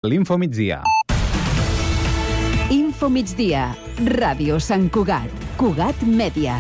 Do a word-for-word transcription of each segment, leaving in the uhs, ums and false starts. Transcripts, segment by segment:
L'Info Migdia. Info Migdia, Ràdio Sant Cugat, Cugat Mèdia.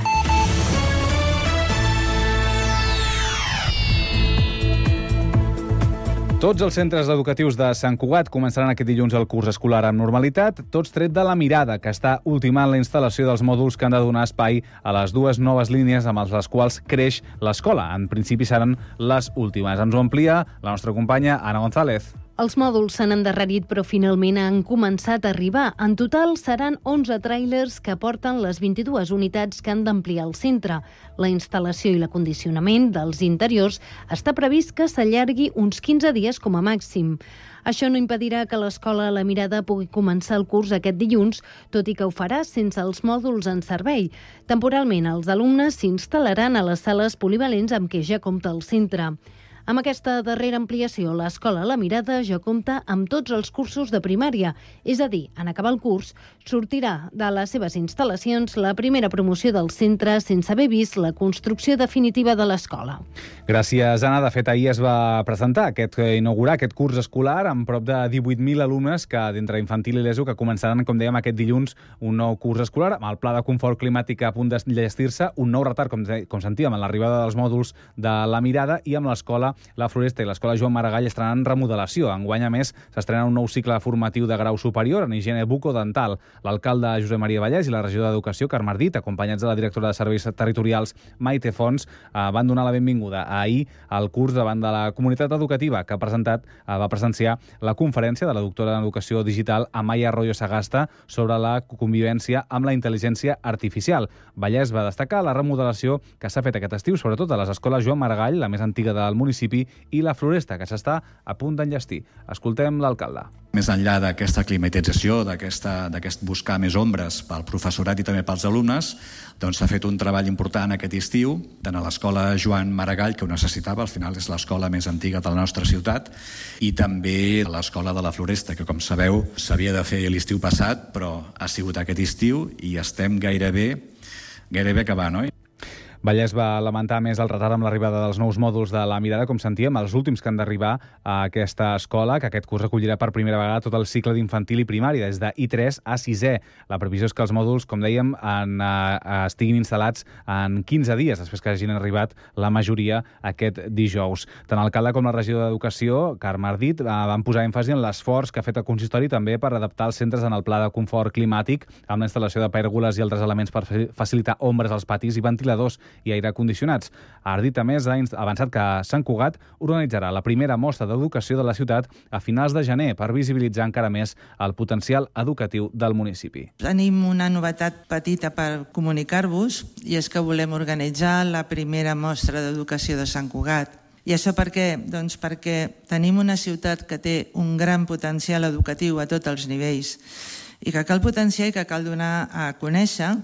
Tots els centres educatius de Sant Cugat començaran aquest dilluns el curs escolar amb normalitat, tots tret de la Mirada, que està ultimant la instal·lació dels mòduls que han de donar espai a les dues noves línies amb les quals creix l'escola. En principi seran les últimes. Ens ho amplia la nostra companya Anna González. Els mòduls s'han endarrerit, però finalment han començat a arribar. En total seran onze tràilers que porten les vint-i-dues unitats que han d'ampliar el centre. La instal·lació i l'acondicionament dels interiors està previst que s'allargui uns quinze dies com a màxim. Això no impedirà que l'escola La Mirada pugui començar el curs aquest dilluns, tot i que ho farà sense els mòduls en servei. Temporalment, els alumnes s'instal·laran a les sales polivalents amb què ja compta el centre. Amb aquesta darrera ampliació, l'escola La Mirada ja compta amb tots els cursos de primària, és a dir, en acabar el curs, sortirà de les seves instal·lacions la primera promoció del centre sense haver vist la construcció definitiva de l'escola. Gràcies, Anna. De fet, ahir es va presentar, aquest, inaugurar aquest curs escolar amb prop de divuit mil alumnes que d'entre infantil i l'ESO que començaran, com dèiem, aquest dilluns un nou curs escolar amb el pla de confort climàtic a punt d'enllestir-se, un nou retard, com, com sentíem, en l'arribada dels mòduls de La Mirada, i amb l'escola La Floresta i l'escola Joan Maragall estaran en remodelació. Enguany, a més, s'estrena un nou cicle formatiu de grau superior en higiene bucodental. L'alcalde Josep Maria Vallès i la regidora d'Educació, Carme Ardit, acompanyats de la directora de Serveis Territorials, Maite Fons, eh, van donar la benvinguda ahir al curs davant de la comunitat educativa que ha presentat, eh, va presenciar la conferència de la doctora en Educació Digital, Amaya Arroyo Sagasta, sobre la convivència amb la intel·ligència artificial. Vallès va destacar la remodelació que s'ha fet aquest estiu, sobretot a les escoles Joan Maragall, la més antiga del municipi, i La Floresta, que s'està a punt d'enllestir. Escoltem l'alcalde. Més enllà d'aquesta climatització, d'aquest buscar més ombres pel professorat i també pels alumnes, doncs s'ha fet un treball important aquest estiu, tant a l'escola Joan Maragall, que ho necessitava, al final és l'escola més antiga de la nostra ciutat, i també a l'escola de La Floresta, que com sabeu s'havia de fer l'estiu passat, però ha sigut aquest estiu i estem gairebé, gairebé acabant, oi? Vallès va lamentar més el retard amb l'arribada dels nous mòduls de La Mirada, com sentíem, els últims que han d'arribar a aquesta escola, que aquest curs recollirà per primera vegada tot el cicle d'infantil i primari, des de I tres a sisè. La previsió és que els mòduls, com dèiem, en, eh, estiguin instal·lats en quinze dies, després que hagin arribat la majoria aquest dijous. Tant l'alcalde com la regidora d'Educació, Carme Ardit, eh, van posar èmfasi en l'esforç que ha fet el consistori també per adaptar els centres en el pla de confort climàtic, amb la instal·lació de pèrgoles i altres elements per facilitar ombres als patis i ventiladors i aire condicionats. Ardit, a més, ha avançat que Sant Cugat organitzarà la primera mostra d'educació de la ciutat a finals de gener per visibilitzar encara més el potencial educatiu del municipi. Tenim una novetat petita per comunicar-vos, i és que volem organitzar la primera mostra d'educació de Sant Cugat. I això per què? Doncs perquè tenim una ciutat que té un gran potencial educatiu a tots els nivells i que cal potenciar i que cal donar a conèixer,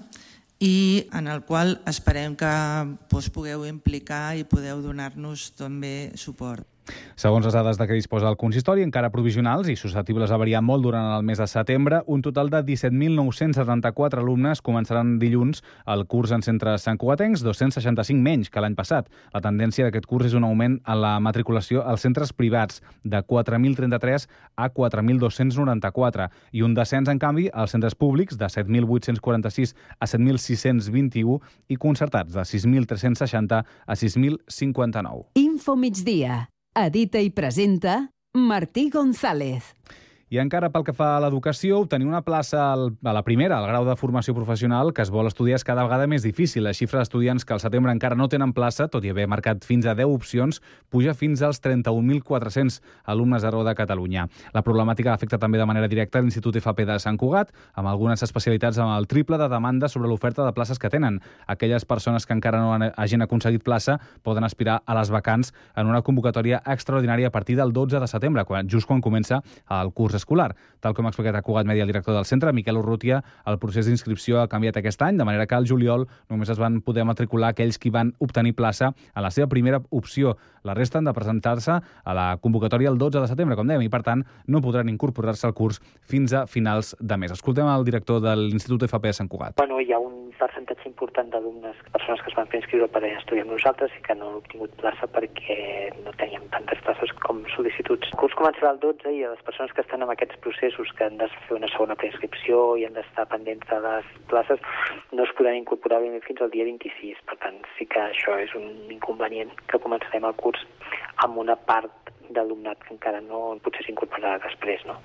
i en el qual esperem que us pugueu implicar i podeu donar-nos també suport. Segons les dades de què disposa el consistori, encara provisionals i susceptibles a variar molt durant el mes de setembre, un total de disset mil nou-cents setanta-quatre alumnes començaran dilluns el curs en centres santcugatencs, dos-cents seixanta-cinc menys que l'any passat. La tendència d'aquest curs és un augment en la matriculació als centres privats, de quatre mil trenta-tres a quatre mil dos-cents noranta-quatre, i un descens, en canvi, als centres públics, de set mil vuit-cents quaranta-sis a set mil sis-cents vint-i-u, i concertats, de sis mil tres-cents seixanta a sis mil cinquanta-nou. Info Migdia. Edita i presenta Martí González. I encara pel que fa a l'educació, obtenir una plaça a la primera, al grau de formació professional que es vol estudiar, és cada vegada més difícil. La xifra d'estudiants que al setembre encara no tenen plaça, tot i haver marcat fins a deu opcions, puja fins als trenta-un mil quatre-cents alumnes arreu de Catalunya. La problemàtica afecta també de manera directa l'Institut F P de Sant Cugat, amb algunes especialitats amb el triple de demanda sobre l'oferta de places que tenen. Aquelles persones que encara no hagin aconseguit plaça poden aspirar a les vacants en una convocatòria extraordinària a partir del dotze de setembre, quan, just quan comença el curs escolar. Tal com ha explicat a Cugat Mèdia el director del centre, Miquel Urrutia, el procés d'inscripció ha canviat aquest any, de manera que al juliol només es van poder matricular aquells qui van obtenir plaça a la seva primera opció. La resta han de presentar-se a la convocatòria el dotze de setembre, com dèiem, i per tant no podran incorporar-se al curs fins a finals de mes. Escoltem el director de l'Institut F P de Sant Cugat. Bueno, hi ha un percentatge important d'alumnes, persones que es van fer inscriure per estudiar amb nosaltres i que no han obtingut plaça perquè no teníem tantes places com sol·licituds. El curs començarà el dotze i a les persones que estan amb aquests processos que han de fer una segona preinscripció i han d'estar pendents de les places, no es podran incorporar ben bé fins al dia vint-i-sis. Per tant, sí que això és un inconvenient, que començarem el curs amb una part d'alumnat que encara no potser s'incorporarà després, no?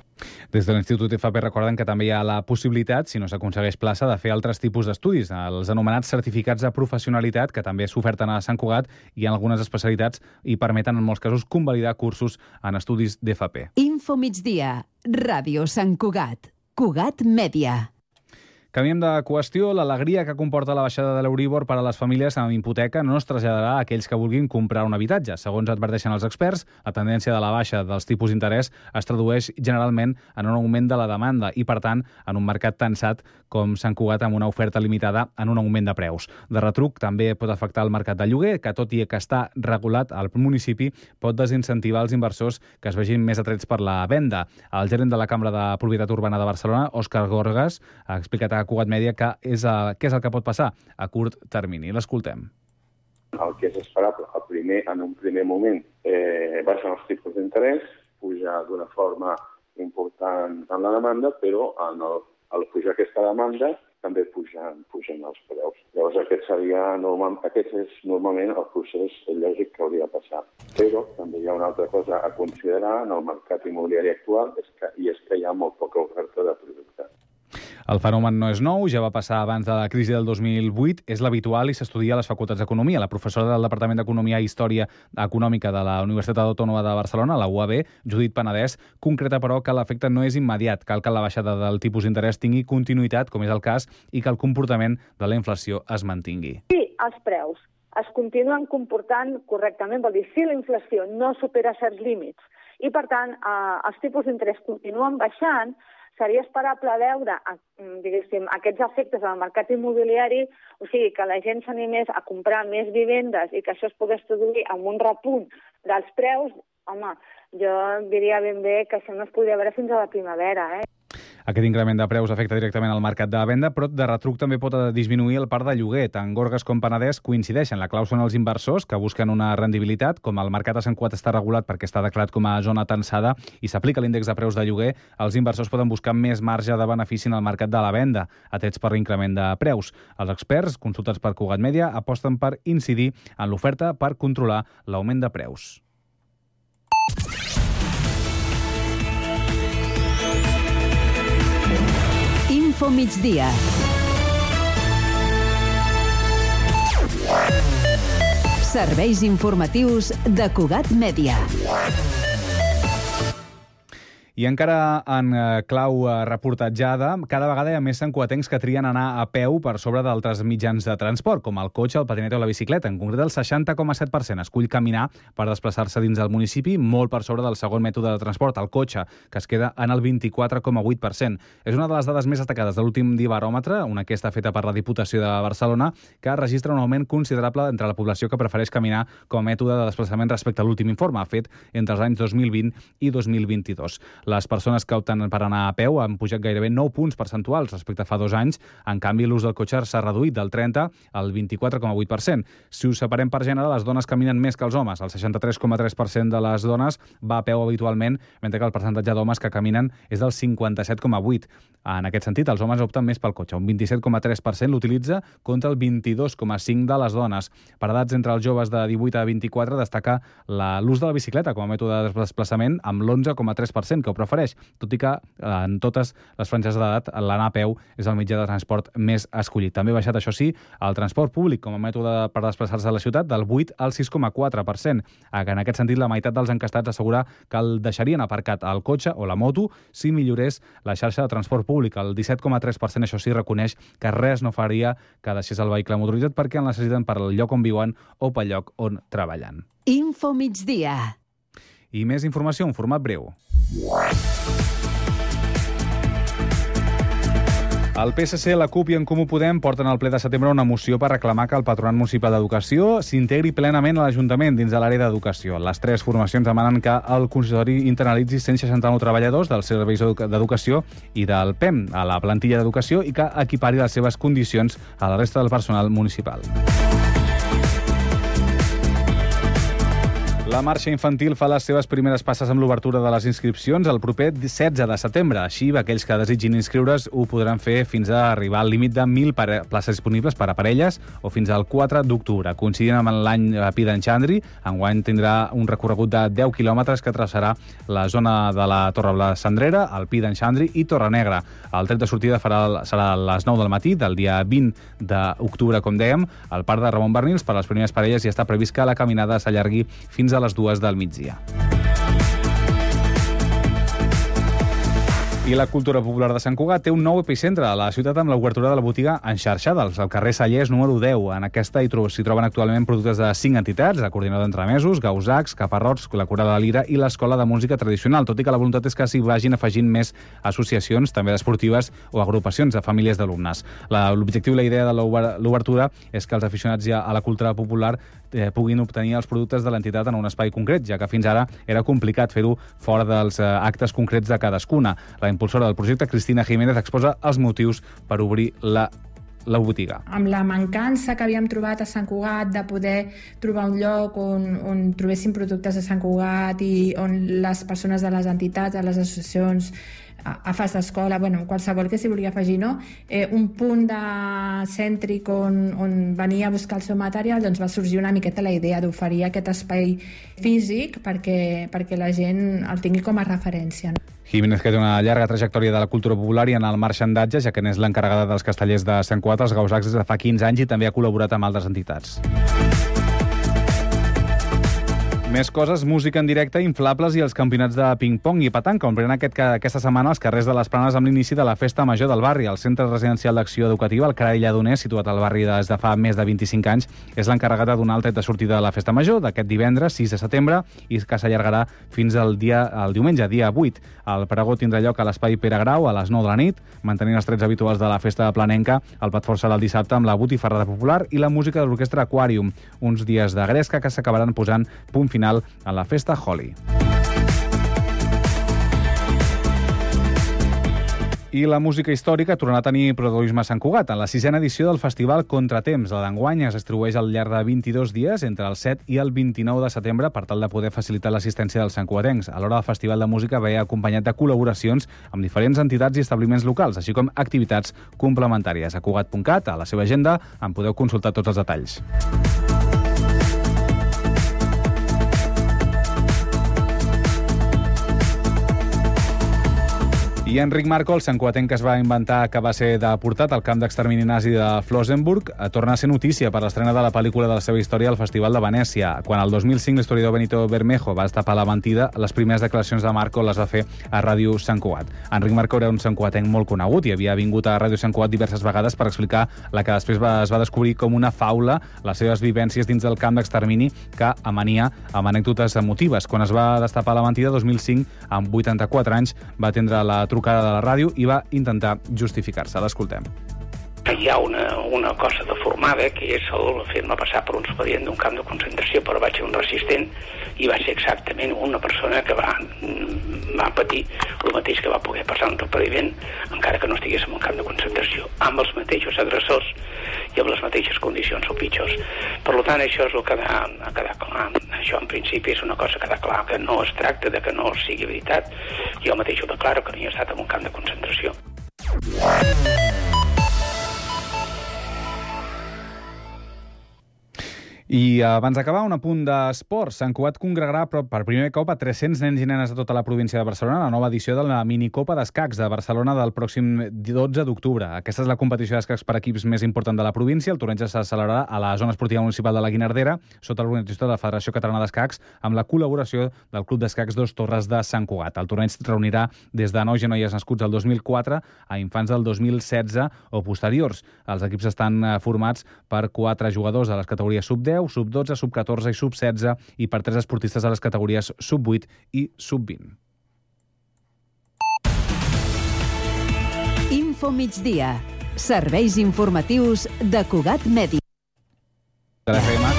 Des de l'Institut F P recorden que també hi ha la possibilitat, si no s'aconsegueix plaça, de fer altres tipus d'estudis, els anomenats certificats de professionalitat, que també s'oferten a Sant Cugat i en algunes especialitats i permeten en molts casos convalidar cursos en estudis d'F P. Info migdia, Ràdio Sant Cugat, Cugat Mèdia. Canviem de qüestió. L'alegria que comporta la baixada de l'Euríbor per a les famílies amb hipoteca no es traslladarà a aquells que vulguin comprar un habitatge. Segons adverteixen els experts, la tendència de la baixa dels tipus d'interès es tradueix generalment en un augment de la demanda i, per tant, en un mercat tensat com Sant Cugat amb una oferta limitada en un augment de preus. De retruc, també pot afectar el mercat de lloguer, que tot i que està regulat al municipi, pot desincentivar els inversors que es vegin més atrets per la venda. El gerent de la Cambra de Propietat Urbana de Barcelona, Òscar Gorgas, ha explicat a Cugat Mèdia que és el, què és el que pot passar a curt termini. L'escoltem. El que és esperable el primer, en un primer moment eh, baixen els tipus d'interès, puja d'una forma important en la demanda, però en el, al pujar aquesta demanda també pugen, pugen els preus. Llavors aquest seria normal, aquest és normalment el procés lògic que hauria de passar. Però també hi ha una altra cosa a considerar en el mercat immobiliari actual, és que, i és que hi ha molt poca oferta de productes. El fenomen no és nou, ja va passar abans de la crisi del dos mil vuit, és l'habitual i s'estudia a les facultats d'Economia. La professora del Departament d'Economia i Història Econòmica de la Universitat Autònoma de Barcelona, la U A B, Judit Penedès, concreta, però, que l'efecte no és immediat. Cal que la baixada del tipus d'interès tingui continuïtat, com és el cas, i que el comportament de la inflació es mantingui. Sí, els preus es continuen comportant correctament, vol dir, si la inflació no supera certs límits i, per tant, eh, els tipus d'interès continuen baixant, seria esperable veure, diguéssim, aquests efectes al mercat immobiliari, o sigui, que la gent s'animés a comprar més vivendes i que això es pogués traduir en un repunt dels preus. Home, jo diria ben bé que això no es podria veure fins a la primavera, eh? Aquest increment de preus afecta directament al mercat de venda, però de retruc també pot disminuir el parc de lloguer. Tant Gorgas com Penedès coincideixen. La clau són els inversors que busquen una rendibilitat. Com el mercat a Sant Cugat està regulat perquè està declarat com a zona tensada i s'aplica l'índex de preus de lloguer, els inversors poden buscar més marge de benefici en el mercat de la venda, atrets per l'increment de preus. Els experts, consultats per Cugat Mèdia, aposten per incidir en l'oferta per controlar l'augment de preus. Info migdia. Serveis informatius de Cugat Mèdia. I encara en clau reportatjada, cada vegada hi ha més santcugatencs que trien anar a peu per sobre d'altres mitjans de transport, com el cotxe, el patinet o la bicicleta. En concret, el seixanta coma set per cent escull caminar per desplaçar-se dins del municipi, molt per sobre del segon mètode de transport, el cotxe, que es queda en el vint-i-quatre coma vuit per cent. És una de les dades més destacades de l'últim Dibaròmetre, una enquesta feta per la Diputació de Barcelona, que registra un augment considerable entre la població que prefereix caminar com a mètode de desplaçament respecte a l'últim informe, fet entre els anys dos mil vint i dos mil vint-i-dos. Les persones que opten per anar a peu han pujat gairebé nou punts percentuals respecte a fa dos anys. En canvi, l'ús del cotxe s'ha reduït del trenta al vint-i-quatre coma vuit per cent. Si us separem per gènere, les dones caminen més que els homes. El seixanta-tres coma tres per cent de les dones va a peu habitualment, mentre que el percentatge d'homes que caminen és del cinquanta-set coma vuit. En aquest sentit, els homes opten més pel cotxe. Un vint-i-set coma tres per cent l'utilitza contra el vint-i-dos coma cinc per cent de les dones. Per edats entre els joves de divuit a vint-i-quatre destaca l'ús de la bicicleta com a mètode de desplaçament amb l'onze coma tres per cent que ho prefereix, tot i que en totes les franges d'edat l'anar a peu és el mitjà de transport més escollit. També ha baixat, això sí, el transport públic com a mètode per desplaçar-se a la ciutat del vuit al sis coma quatre per cent. En aquest sentit, la meitat dels encastats assegura que el deixarien aparcat el cotxe o la moto si millorés la xarxa de transport públic. El disset coma tres per cent, això sí, reconeix que res no faria que deixés el vehicle motoritzat perquè el necessiten per al lloc on viuen o pel lloc on treballen. Info migdia. I més informació en format breu. El P S C, la CUP i en Comú Podem porten al ple de setembre una moció per reclamar que el Patronat Municipal d'Educació s'integri plenament a l'Ajuntament dins de l'àrea d'educació. Les tres formacions demanen que el consistori internalitzi cent seixanta-nou treballadors dels serveis d'educació i del P E M a la plantilla d'educació i que equipari les seves condicions a la resta del personal municipal. La marxa infantil fa les seves primeres passes amb l'obertura de les inscripcions el proper setze de setembre. Així, aquells que desitgin inscriure's ho podran fer fins a arribar al límit de mil places disponibles per a parelles o fins al quatre d'octubre. Coincidint amb l'any Pi d'en Xandri, enguany tindrà un recorregut de deu quilòmetres que traçarà la zona de la Torre Cendrera, el Pi d'en Xandri i Torre Negra. El tret de sortida farà, serà a les nou del matí del dia vint d'octubre, com dèiem, al Parc de Ramon Barnils. Per a les primeres parelles ja està previst que la caminada s'allargui fins a les dues del migdia. I la cultura popular de Sant Cugat té un nou epicentre a la ciutat amb l'obertura de la botiga Enxarxada, al carrer Sallés número deu. En aquesta s'hi troben actualment productes de cinc entitats, la Coordinadora d'Entremesos, Gausacs, Caparrots, la Cura de la Lira i l'Escola de Música Tradicional, tot i que la voluntat és que s'hi vagin afegint més associacions, també esportives o agrupacions de famílies d'alumnes. L'objectiu i la idea de l'obertura és que els aficionats ja a la cultura popular eh, puguin obtenir els productes de l'entitat en un espai concret, ja que fins ara era complicat fer-ho fora dels eh, actes concrets de cadascuna. La impulsora del projecte, Cristina Jiménez, exposa els motius per obrir la la botiga. Amb la mancança que havíem trobat a Sant Cugat de poder trobar un lloc on, on trobéssim productes de Sant Cugat i on les persones de les entitats, de les associacions, a fas d'escola, bueno, qualsevol que s'hi volia afegir, no? Eh, un punt de cèntric on, on venia a buscar el seu material, doncs va sorgir una miqueta la idea d'oferir aquest espai físic perquè, perquè la gent el tingui com a referència. No? Jiménez, que té una llarga trajectòria de la cultura popular i en el marxandatge, ja que n'és l'encarregada dels castellers de Sant Cugat, els Gausacs, des de fa quinze anys i també ha col·laborat amb altres entitats. Més coses, música en directe, inflables i els campionats de ping-pong i petanca, omplen aquest, aquesta setmana els carrers de les Planes amb l'inici de la Festa Major del barri. El Centre Residencial d'Acció Educativa, el Carall Lledoners, situat al barri des de fa més de vint-i-cinc anys, és l'encarregat de donar el tret de sortida de la Festa Major d'aquest divendres, sis de setembre, i que s'allargarà fins al dia, el diumenge, dia vuit. El pregó tindrà lloc a l'Espai Pere Grau a les nou de la nit, mantenint els trets habituals de la Festa planenca. El plat fort serà el dissabte amb la botifarrada popular i la música de l'orquestra Aquarium, uns dies de gresca que s'acabaran posant punt final a la Festa Holi. I la música històrica tornarà a tenir protagonisme a Sant Cugat. En la sisena edició del festival Contratemps, la d'enguany es distribueix al llarg de vint-i-dos dies entre el set i el vint-i-nou de setembre per tal de poder facilitar l'assistència dels santcugatencs. Alhora, el festival de música ve acompanyat de col·laboracions amb diferents entitats i establiments locals, així com activitats complementàries. A cugat punt cat, a la seva agenda, en podeu consultar tots els detalls. I Enric Marco, el santcugatenc que es va inventar que va ser deportat al camp d'extermini nazi de Flossenburg, torna a ser notícia per l'estrena de la pel·lícula de la seva història al Festival de Venècia. Quan el dos mil cinc l'historiador Benito Bermejo va destapar la mentida, les primeres declaracions de Marco les va fer a Ràdio Sant Cugat. Enric Marco era un santcugatenc molt conegut i havia vingut a Ràdio Sant Cugat diverses vegades per explicar la que després va, es va descobrir com una faula, les seves vivències dins del camp d'extermini, que amania amb anècdotes emotives. Quan es va destapar la mentida, dos mil cinc, amb vuitanta-quatre anys, va atendre la trucada de la ràdio i va intentar justificar-se. L'escoltem. Hi ha una, una cosa deformada, que és el fer-me passar per un expedient d'un camp de concentració, però vaig ser un resistent i va ser exactament una persona que va, va patir el mateix que va poder passar un repariment, encara que no estigués en un camp de concentració, amb els mateixos agressors i amb les mateixes condicions o pitjors. Per tant, això és el que ha, ha quedat clar. Això, en principi, és una cosa que ha quedat clar, que no es tracta de que no sigui veritat. Jo mateix ho declaro, que no hi he estat en un camp de concentració. I abans d'acabar, un apunt d'esports. Sant Cugat congregarà per primer cop a tres-cents nens i nenes de tota la província de Barcelona a la nova edició de la minicopa d'escacs de Barcelona del pròxim dotze d'octubre. Aquesta és la competició d'escacs per equips més important de la província. El torneig se celebrarà a la zona esportiva municipal de la Guinardera, sota l'organització de la Federació Catalana d'Escacs, amb la col·laboració del Club d'Escacs Dos Torres de Sant Cugat. El torneig reunirà des de nois i noies nascuts el dos mil quatre a infants del dos mil setze o posteriors. Els equips estan formats per quatre jugadors de les categories sub deu, sub dotze, sub catorze i sub setze i per tres esportistes a les categories sub vuit i sub vint. Info migdia. Serveis informatius de Cugat Mèdia. De l'F M.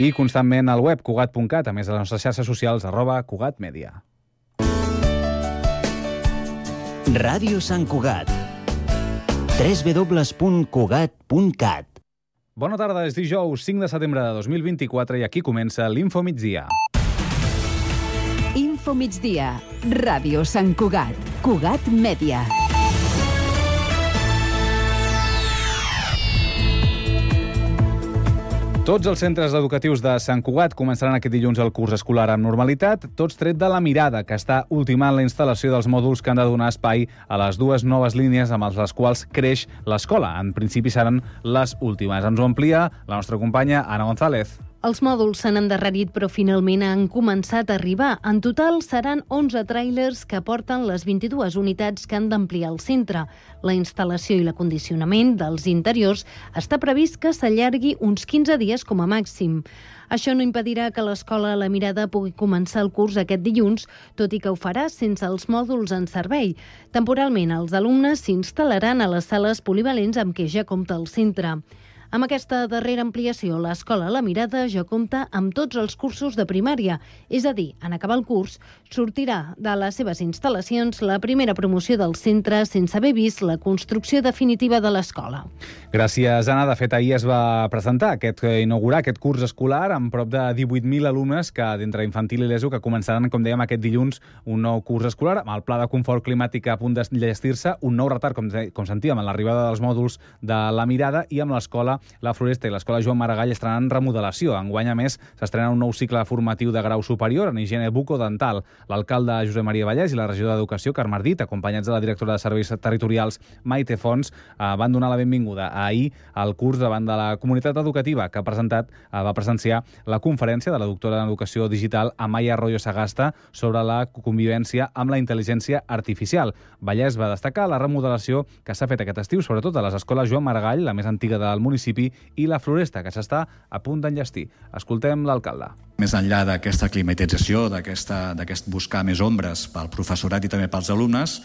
I constantment al web cugat punt cat, a més de les nostres xarxes socials, arroba Cugat Mèdia. Ràdio Sant Cugat. w w w punt cugat punt cat Bona tarda, és dijous cinc de setembre de dos mil vint-i-quatre i aquí comença l'Info Migdia. Info Migdia, Ràdio Sant Cugat, Cugat Mèdia. Tots els centres educatius de Sant Cugat començaran aquest dilluns el curs escolar amb normalitat, tots tret de la Mirada, que està ultimant la instal·lació dels mòduls que han de donar espai a les dues noves línies amb les quals creix l'escola. En principi seran les últimes. Ens ho amplia la nostra companya Ana González. Els mòduls s'han endarrerit, però finalment han començat a arribar. En total seran onze tràilers que porten les vint-i-dues unitats que han d'ampliar el centre. La instal·lació i l'acondicionament dels interiors està previst que s'allargui uns quinze dies com a màxim. Això no impedirà que l'escola La Mirada pugui començar el curs aquest dilluns, tot i que ho farà sense els mòduls en servei. Temporalment, els alumnes s'instal·laran a les sales polivalents amb què ja compta el centre. Amb aquesta darrera ampliació, l'escola La Mirada ja compta amb tots els cursos de primària, és a dir, en acabar el curs, sortirà de les seves instal·lacions la primera promoció del centre sense haver vist la construcció definitiva de l'escola. Gràcies, Anna. De fet, ahir es va presentar, aquest, inaugurar aquest curs escolar amb prop de divuit mil alumnes que d'entre infantil i l'ESO que començaran, com dèiem, aquest dilluns un nou curs escolar amb el pla de confort climàtic a punt d'enllestir-se, un nou retard, com, com sentíem, en l'arribada dels mòduls de La Mirada i amb l'escola La Floresta i l'escola Joan Maragall estaran en remodelació. Enguany, a més, s'estrena un nou cicle formatiu de grau superior en higiene bucodental. L'alcalde Josep Maria Vallès i la regidora d'Educació, Carme Ardit, acompanyats de la directora de Serveis Territorials, Maite Fons, eh, van donar la benvinguda ahir al curs davant de la comunitat educativa que ha presentat, eh, va presenciar la conferència de la doctora en Educació Digital, Amaya Arroyo Sagasta, sobre la convivència amb la intel·ligència artificial. Vallès va destacar la remodelació que s'ha fet aquest estiu, sobretot a les escoles Joan Maragall, la més antiga del municipi, i La Floresta, que s'està a punt d'enllestir. Escoltem l'alcalde. Més enllà d'aquesta climatització, d'aquest buscar més ombres pel professorat i també pels alumnes,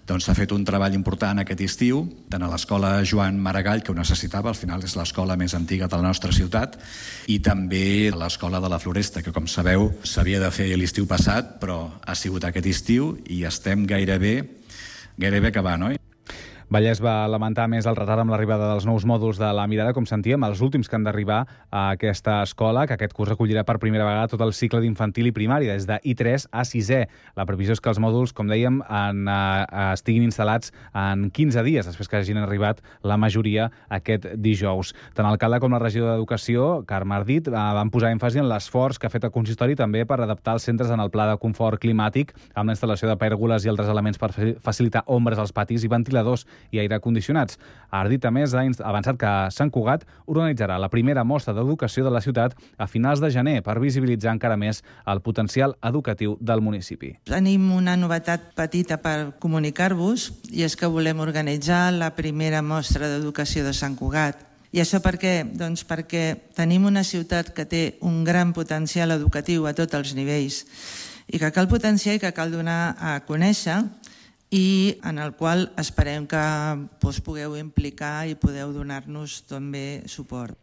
doncs s'ha fet un treball important aquest estiu, tant a l'escola Joan Maragall, que ho necessitava, al final és l'escola més antiga de la nostra ciutat, i també a l'escola de La Floresta, que com sabeu s'havia de fer l'estiu passat, però ha sigut aquest estiu i estem gairebé, gairebé acabant, oi? Vallès va lamentar més el retard amb l'arribada dels nous mòduls de La Mirada, com sentíem, els últims que han d'arribar a aquesta escola, que aquest curs recollirà per primera vegada tot el cicle d'infantil i primària, des de I tres a sisè. La previsió és que els mòduls, com dèiem, en, eh, estiguin instal·lats en quinze dies, després que hagin arribat la majoria aquest dijous. Tant l'alcalde com la regidora d'Educació, Carme Ardit, eh, van posar èmfasi en l'esforç que ha fet el consistori també per adaptar els centres en el pla de confort climàtic, amb la instal·lació de pèrgoles i altres elements per facilitar ombres als patis i ventiladors i aire condicionats. Ardit, a més, ha avançat que Sant Cugat organitzarà la primera mostra d'educació de la ciutat a finals de gener per visibilitzar encara més el potencial educatiu del municipi. Tenim una novetat petita per comunicar-vos i és que volem organitzar la primera mostra d'educació de Sant Cugat. I això per què? Doncs perquè tenim una ciutat que té un gran potencial educatiu a tots els nivells i que cal potenciar i que cal donar a conèixer i en el qual esperem que us pugueu implicar i podeu donar-nos també suport.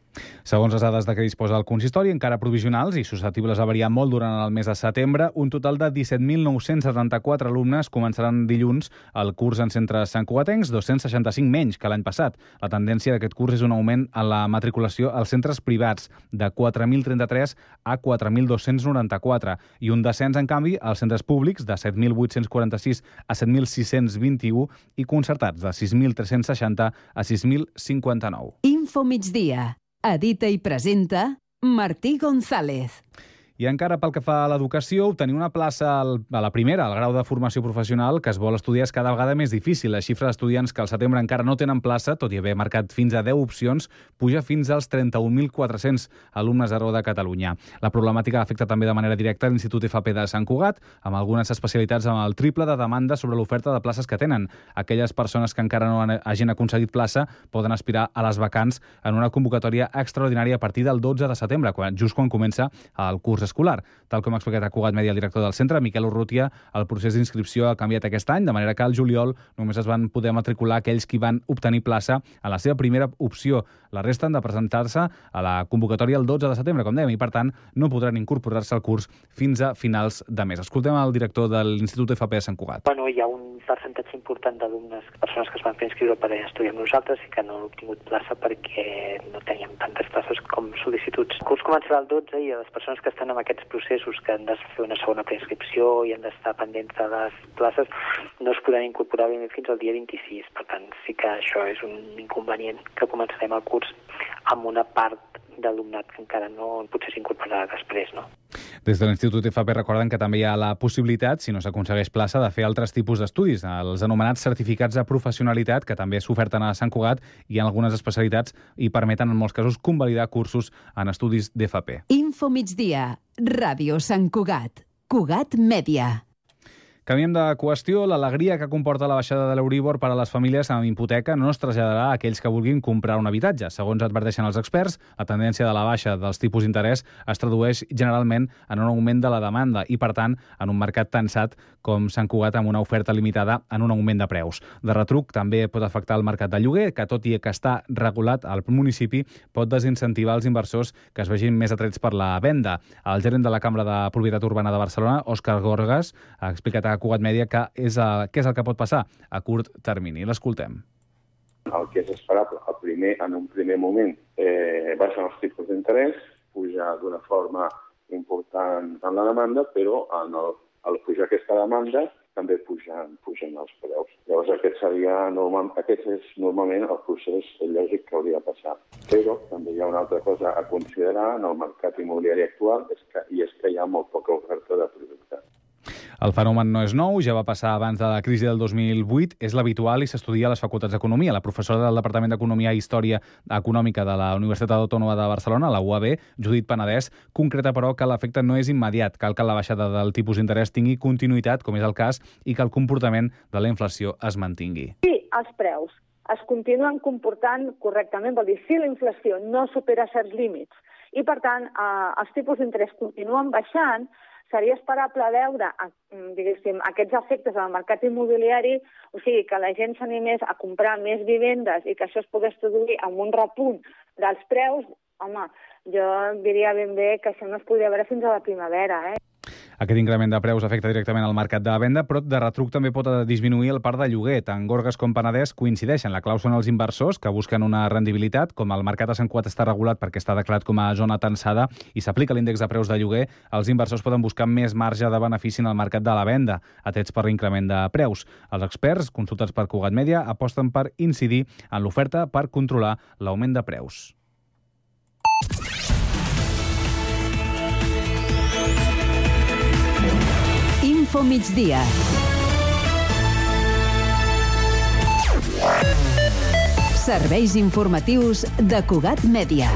Segons les dades de què disposa el consistori, encara provisionals i susceptibles a variar molt durant el mes de setembre, un total de disset mil nou-cents setanta-quatre alumnes començaran dilluns el curs en centres santcugatencs, dos-cents seixanta-cinc menys que l'any passat. La tendència d'aquest curs és un augment en la matriculació als centres privats, de quatre mil trenta-tres a quatre mil dos-cents noranta-quatre, i un descens, en canvi, als centres públics, de set mil vuit-cents quaranta-sis a set mil sis-cents vint-i-u, i concertats, de sis mil tres-cents seixanta a sis mil cinquanta-nou. Info Migdia. Edita i presenta Martí González. I encara pel que fa a l'educació, obtenir una plaça a la primera, al grau de formació professional que es vol estudiar és cada vegada més difícil. La xifra d'estudiants que al setembre encara no tenen plaça, tot i haver marcat fins a deu opcions, puja fins als trenta-un mil quatre-cents alumnes arreu de Catalunya. La problemàtica afecta també de manera directa l'Institut F P de Sant Cugat, amb algunes especialitats amb el triple de demanda sobre l'oferta de places que tenen. Aquelles persones que encara no hagin aconseguit plaça poden aspirar a les vacants en una convocatòria extraordinària a partir del dotze de setembre, quan, just quan comença el curs escolar. Tal com ha explicat a Cugat Mèdia el director del centre, Miquel Urrutia, el procés d'inscripció ha canviat aquest any, de manera que al juliol només es van poder matricular aquells qui van obtenir plaça a la seva primera opció. La resta han de presentar-se a la convocatòria el dotze de setembre, com dèiem, i per tant no podran incorporar-se al curs fins a finals de mes. Escoltem el director de l'Institut F P de Sant Cugat. Bueno, hi ha un percentatge important d'alumnes, persones que es van fer inscriure per estudiar amb nosaltres i que no han obtingut plaça perquè no teníem tantes places com sol·licituds. El curs començarà el dotze i les persones que estan en aquests processos, que han de fer una segona preinscripció i han d'estar pendents de les places, no es podran incorporar fins al dia vint-i-sis. Per tant, sí que això és un inconvenient, que començarem el curs amb una part d'alumnat que encara no potser s'incorporarà després, no? Des de l'Institut F P recorden que també hi ha la possibilitat, si no s'aconsegueix plaça, de fer altres tipus d'estudis, els anomenats certificats de professionalitat, que també s'oferten a Sant Cugat i en algunes especialitats i permeten en molts casos convalidar cursos en estudis d'F P. Info migdia, Ràdio Sant Cugat, Cugat Mèdia. Canviem de qüestió. L'alegria que comporta la baixada de l'Euríbor per a les famílies amb hipoteca no es traslladarà a aquells que vulguin comprar un habitatge. Segons adverteixen els experts, la tendència de la baixa dels tipus d'interès es tradueix generalment en un augment de la demanda i, per tant, en un mercat tensat com Sant Cugat amb una oferta limitada en un augment de preus. De retruc, també pot afectar el mercat de lloguer, que tot i que està regulat al municipi, pot desincentivar els inversors que es vegin més atrets per la venda. El gerent de la Cambra de Propietat Urbana de Barcelona, Òscar Gorgas, ha explicat a Cugat Mèdia que és a, què és el que pot passar a curt termini. L'escoltem. El que és esperable, el primer, en un primer moment, eh, baixen els tipus d'interès, puja d'una forma important en la demanda, però en el, al pujar aquesta demanda també pugen, pugen els preus. Llavors aquest seria normal, aquest és normalment el procés lògic que hauria de passar. Però també hi ha una altra cosa a considerar en el mercat immobiliari actual, és que, i és que hi ha molt poca oferta de producte. El fenomen no és nou, ja va passar abans de la crisi del dos mil vuit, és l'habitual i s'estudia a les facultats d'Economia. La professora del Departament d'Economia i Història Econòmica de la Universitat Autònoma de Barcelona, la U A B, Judit Penedès, concreta, però, que l'efecte no és immediat. Cal que la baixada del tipus d'interès tingui continuïtat, com és el cas, i que el comportament de la inflació es mantingui. Sí, els preus es continuen comportant correctament, vol dir, si la inflació no supera certs límits i, per tant, eh, els tipus d'interès continuen baixant, seria esperable veure, diguéssim, aquests efectes al mercat immobiliari, o sigui, que la gent s'animés a comprar més vivendes i que això es pogués traduir amb un repunt dels preus. Home, jo diria ben bé que això no es podria veure fins a la primavera, eh? Aquest increment de preus afecta directament al mercat de venda, però de retruc també pot disminuir el parc de lloguer. Tant Gorgas com Penedès coincideixen. La clau són els inversors que busquen una rendibilitat. Com el mercat de Sant Cugat està regulat perquè està declarat com a zona tensada i s'aplica l'índex de preus de lloguer, els inversors poden buscar més marge de benefici en el mercat de la venda, atrets per l'increment de preus. Els experts, consultats per Cugat Mèdia, aposten per incidir en l'oferta per controlar l'augment de preus. Info migdia. Serveis informatius de Cugat Mèdia.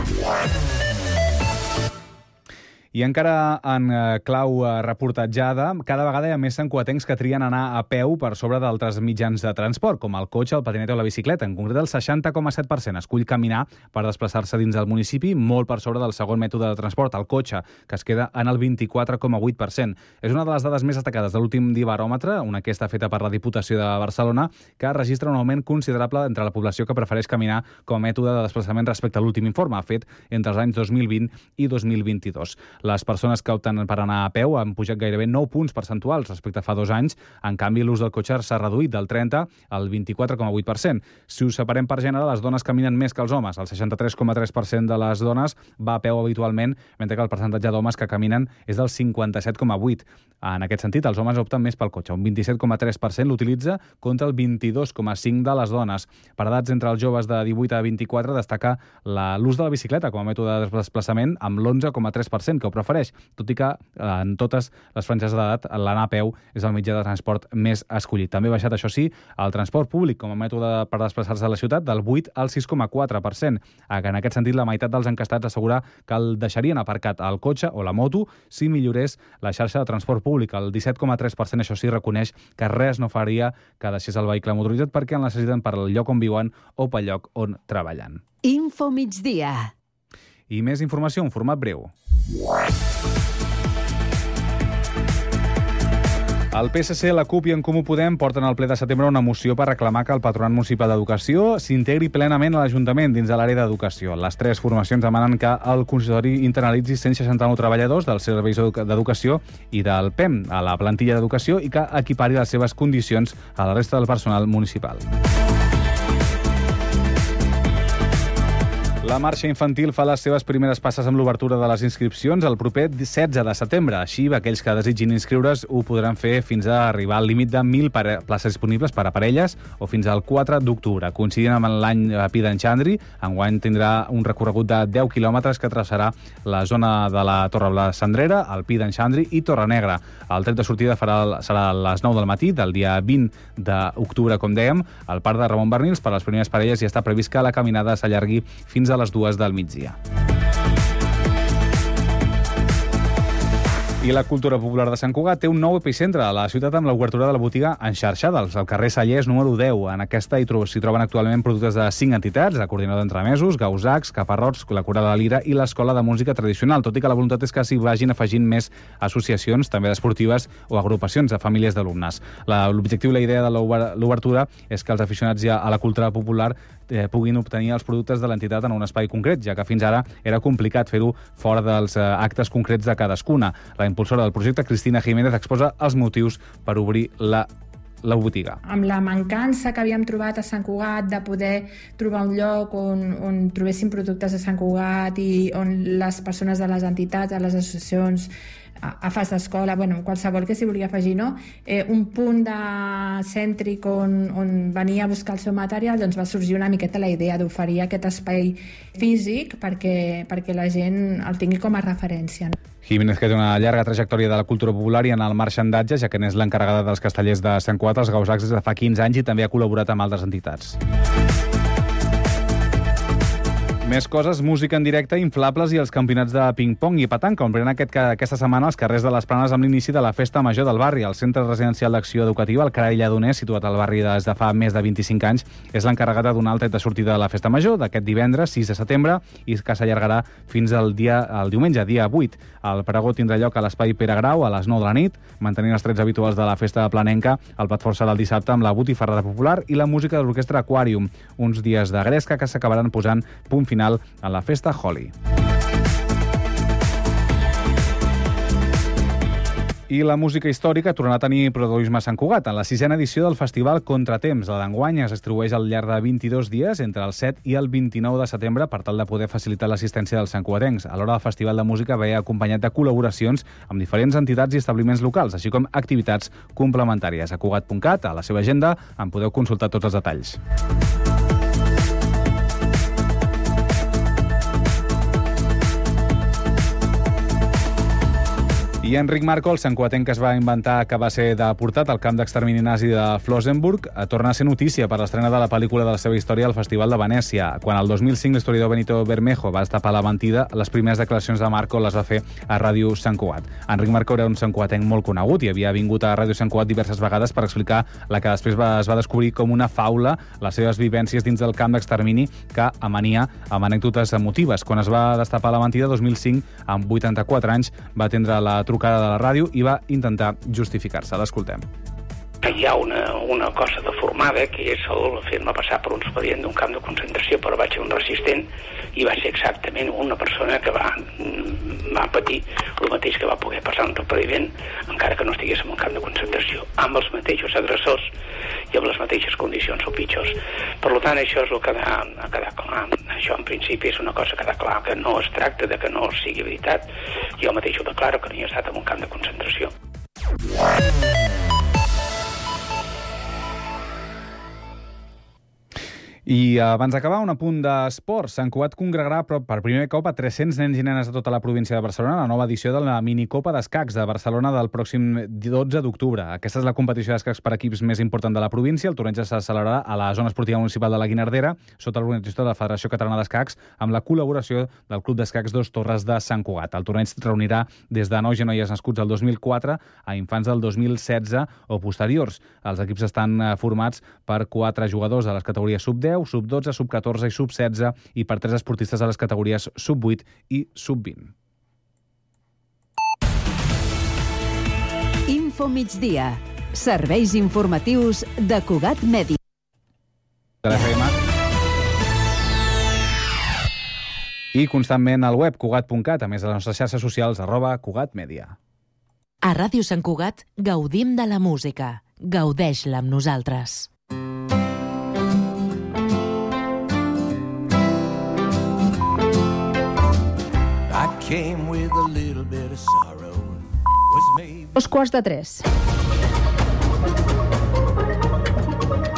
I encara en clau reportatjada, cada vegada hi ha més santcugatencs que trien anar a peu per sobre d'altres mitjans de transport, com el cotxe, el patinet o la bicicleta. En concret, el seixanta coma set per cent escull caminar per desplaçar-se dins del municipi, molt per sobre del segon mètode de transport, el cotxe, que es queda en el vint-i-quatre coma vuit per cent. És una de les dades més destacades de l'últim Dibaròmetre, una enquesta feta per la Diputació de Barcelona, que registra un augment considerable entre la població que prefereix caminar com a mètode de desplaçament respecte a l'últim informe, fet entre els anys dos mil vint i dos mil vint-i-dos. Les persones que opten per anar a peu han pujat gairebé nou punts percentuals respecte a fa dos anys. En canvi, l'ús del cotxe s'ha reduït del trenta al vint-i-quatre coma vuit per cent. Si ho separem per gènere, les dones caminen més que els homes. El seixanta-tres coma tres per cent de les dones va a peu habitualment, mentre que el percentatge d'homes que caminen és del cinquanta-set coma vuit. En aquest sentit, els homes opten més pel cotxe. Un vint-i-set coma tres per cent l'utilitza contra el vint-i-dos coma cinc per cent de les dones. Per edats entre els joves de divuit a vint-i-quatre destaca l'ús de la bicicleta com a mètode de desplaçament amb l'onze coma tres per cent que ho prefereix, tot i que en totes les franges d'edat l'anar a peu és el mitjà de transport més escollit. També ha baixat, això sí, el transport públic com a mètode per desplaçar-se a la ciutat del vuit al sis coma quatre per cent. En aquest sentit, la meitat dels encastats assegura que el deixarien aparcat el cotxe o la moto si millorés la xarxa de transport públic. El disset coma tres per cent, això sí, reconeix que res no faria que deixés el vehicle motoritzat perquè el necessiten per al lloc on viuen o pel lloc on treballen. Info migdia. I més informació en format breu. El P S C, la CUP i en Comú Podem porten al ple de setembre una moció per reclamar que el Patronat Municipal d'Educació s'integri plenament a l'Ajuntament dins de l'àrea d'educació. Les tres formacions demanen que el consistori internalitzi cent seixanta-nou treballadors dels serveis d'educació i del P E M a la plantilla d'educació i que equipari les seves condicions a la resta del personal municipal. La marxa infantil fa les seves primeres passes amb l'obertura de les inscripcions el proper setze de setembre. Així, aquells que desitgin inscriure's ho podran fer fins a arribar al límit de mil places disponibles per a parelles o fins al quatre d'octubre. Coincidint amb l'any Pi d'en Xandri, enguany tindrà un recorregut de deu quilòmetres que traçarà la zona de la Torre Bla Cendrera, el Pi d'en Xandri i Torre Negra. El tret de sortida farà, serà a les nou del matí del dia vint d'octubre, com dèiem, al Parc de Ramon Bernils. Per a les primeres parelles i està previst que la caminada s'allargui fins a a les dues del migdia. I la cultura popular de Sant Cugat té un nou epicentre a la ciutat amb l'obertura de la botiga Enxarxada, al carrer Sallés número deu. En aquesta s'hi troben actualment productes de cinc entitats, la Coordinador d'Entremesos, Gausacs, Caparrots, la Coral de la Lira i l'Escola de Música Tradicional, tot i que la voluntat és que s'hi vagin afegint més associacions, també esportives o agrupacions de famílies d'alumnes. L'objectiu i la idea de l'obertura és que els aficionats ja a la cultura popular eh, puguin obtenir els productes de l'entitat en un espai concret, ja que fins ara era complicat fer-ho fora dels eh, actes concrets de cadascuna. La impulsora del projecte, Cristina Jiménez, exposa els motius per obrir la la botiga. Amb la mancança que havíem trobat a Sant Cugat de poder trobar un lloc on, on trobéssim productes de Sant Cugat i on les persones de les entitats, de les associacions, a fas d'escola, bueno, qualsevol que s'hi volia afegir, no? Eh, un punt de cèntric on, on venia a buscar el seu material, doncs va sorgir una miqueta la idea d'oferir aquest espai físic perquè, perquè la gent el tingui com a referència. Jiménez, que té una llarga trajectòria de la cultura popular i en el marxandatge, ja que n'és l'encarregada dels castellers de Sant Cugat, els Gausacs, des de fa quinze anys i també ha col·laborat amb altres entitats. Més coses, música en directe, inflables i els campionats de ping-pong i petanca ompliran aquest, aquesta setmana els carrers de les Planes amb l'inici de la Festa Major del barri. El Centre Residencial d'Acció Educativa, el Carall Lledoners, situat al barri des de fa més de vint-i-cinc anys, és l'encarregat de donar el tret de sortida de la Festa Major d'aquest divendres, sis de setembre, i que s'allargarà fins al dia al diumenge, dia vuit. El pregó tindrà lloc a l'Espai Pere Grau a les nou de la nit, mantenint els trets habituals de la Festa Planenca. El plat fort serà el dissabte amb la botifarrada popular i la música de l'Orquestra Aquarium, uns dies de gresca que s'acabaran posant punt final a la Festa Holi. I la música històrica tornarà a tenir protagonisme a Sant Cugat en la sisena edició del Festival Contratemps. La d'enguany es distribueix al llarg de vint-i-dos dies entre el set i el vint-i-nou de setembre per tal de poder facilitar l'assistència dels santcugatencs. Alhora, el Festival de Música ve acompanyat de col·laboracions amb diferents entitats i establiments locals, així com activitats complementàries. A cugat punt cat, a la seva agenda, en podeu consultar tots els detalls. I Enric Marco, el santcugatenc que es va inventar que va ser deportat al camp d'extermini nazi de Flossenburg, torna a ser notícia per l'estrena de la pel·lícula de la seva història al Festival de Venècia. Quan el dos mil cinc l'historiador Benito Bermejo va destapar la mentida, les primeres declaracions de Marco les va fer a Ràdio Sant Cugat. Enric Marco era un santcugatenc molt conegut i havia vingut a Ràdio Sant Cugat diverses vegades per explicar la que després va, es va descobrir com una faula, les seves vivències dins del camp d'extermini, que amania amb anècdotes emotives. Quan es va destapar la mentida, dos mil cinc, amb vuitanta-quatre anys, va atendre la trucada de la ràdio i va intentar justificar-se. L'escoltem. Hi ha una, una cosa deformada que és el fer-me passar per un expedient d'un camp de concentració, però vaig ser un resistent i va ser exactament una persona que va, va patir el mateix que va poder passar un repariment encara que no estigués en un camp de concentració, amb els mateixos agressors i amb les mateixes condicions o pitjors. Per tant, això és el que ha, ha quedat clar. Això en principi és una cosa que ha quedat clar, que no es tracta de que no sigui veritat. Jo mateix ho declaro que no hi he estat en un camp de concentració. I abans d'acabar, un apunt d'esport. Sant Cugat congregarà per primer cop a tres-cents nens i nenes de tota la província de Barcelona a la nova edició de la minicopa d'escacs de Barcelona del pròxim dotze d'octubre. Aquesta és la competició d'escacs per equips més important de la província. El torneig se celebrarà a la zona esportiva municipal de la Guinardera, sota l'organització de la Federació Catalana d'Escacs, amb la col·laboració del Club d'Escacs Dos Torres de Sant Cugat. El torneig reunirà des de nois i noies nascuts el dos mil quatre a infants del dos mil setze o posteriors. Els equips estan formats per quatre jugadors de les categories sub deu, sub dotze, sub catorze i sub setze i per tres esportistes a les categories sub vuit i sub vint. Info migdia. Serveis informatius de Cugat Mèdia. De l'F M. I constantment al web cugat punt cat, a més de les nostres xarxes socials, arroba Cugat Mèdia. A Ràdio Sant Cugat gaudim de la música. Gaudeix-la amb nosaltres. I came with a little bit of sorrow. Was maybe... Dos quarts de tres.